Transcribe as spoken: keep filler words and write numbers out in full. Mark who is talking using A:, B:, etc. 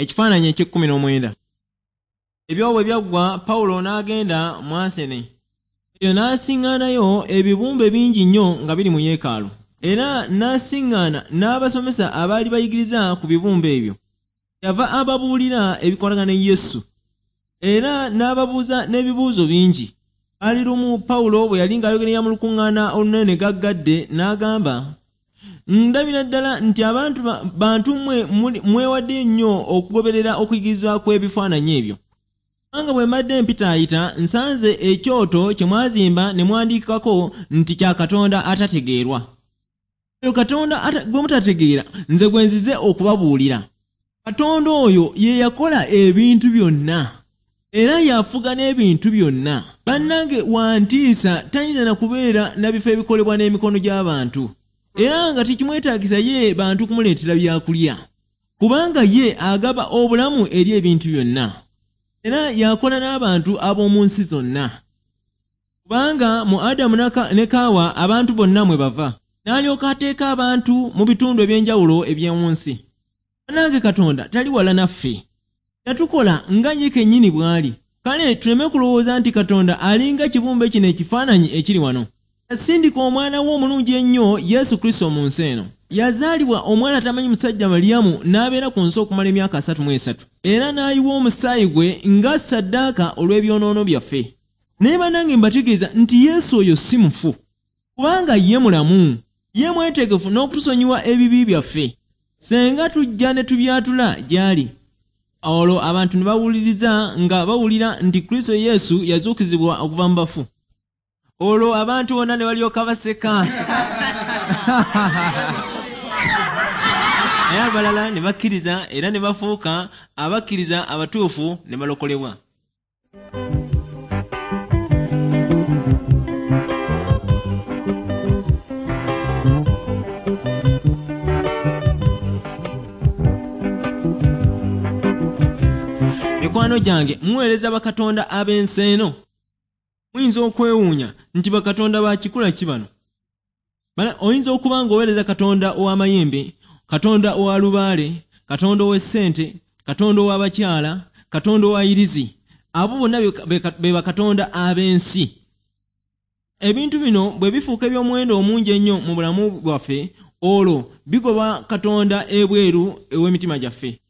A: Ekifaananyi eky'ekkumi n'omwenda. Ebyo bwe byaggwa, Pawulo n'agenda mu Asene. Eyo n'asiŋŋaanayo ebibumbe bingi nnyo nga biri mu yeekaalu. Era n'asiŋŋaana n'abasomesa abaali bayigiriza ku bibumbe ebyo. Yava ababuulira ebikwatagana ne Yesu. Era n'ababuuza n'ebibuuzo bingi. Ali lumu Pawulo bwe yali ng'ayogerera mu lukuŋŋaana olunene gaggadde n'agamba, ndabira ddala nti abantu bantu mmwe mwewadde nnyo okugoberera okuyigirizwa kw'ebifaananyi ebyo. Kubanga bwe mbadde mpitaayita nsanze ekyoto kye mwazimba ne mwandiikako nti kya Katonda atategeerwa. Oyo Katonda gwe mutategeera nze gwe nzize okubabuulira. Katonda oyo ye yakola ebintu byonna era yafuga n'ebintu byonna. Bannange wantiisa tayinza na kubeera na bifo ebikolebwa n'emikono gy'abantu. Era nga tekimwetaagisa ye bantu kumuleetera byakulya. Kubanga ye agaba obulamu eri ebintu byonna. Era yakola n'abantu ab'omu nsi zonna. Kubanga mu Adamu ne Kaawa abantu bonna mwe bava. N'alyoka ateeka abantu mu bitundu eby'enjawulo eby'omu nsi. Bannange Katonda tali wala naffe. Yatukola nga ye kennyini bw'ali. Kale tuleme kulowooza nti Katonda alinga kibumbe kino ekifaananyi ekiri wano. Yasindika omwana we omulungi ennyo Yesu Kristo mu nsi eno. Yazaalibwa omwana atamanyi musajja Maliyamu n'abeera ku nsi okumala emyaka asatu mu esatu. Era n'ayiwa omusaayi gwe nga ssaddaaka olw'ebyonoono byaffe. Naye bannange mbategeeza nti Yesu oyo si mufu. Kubanga ye mulamu. Ye mwetegefu n'okutusonyiwa ebibi byaffe. Senga tujja ne tubyatula gy'ali. Olwo abantu ne bawuliriza nga bawulira nti Kristo Yesu yazuukizibwa okuva mu bafu. Olwo abantu bonna ne balyoka baseka. Naye abalala ne bakkiriza era ne bafuuka abakkiriza abatuufu ne balokolebwa. Mikwano gyange muweereza bakatonda ab'ensi eno. Muyinza okwewuunya nti bakatonda ba kikula ki bano? Oyinza okuba ng'oweereza Katonda ow'amayembe, Katonda owa lubaale, Katonda ow'essente, Katonda ow'abakyala, Katonda owa yirizi. Abo bonna be bakatonda ab'ensi. Ebintu bino bwe bifuuka eby'omuwendo omungi ennyo mu bulamu bwaffe, olwo bigoba Katonda ebweru ew'emitima gyaffe.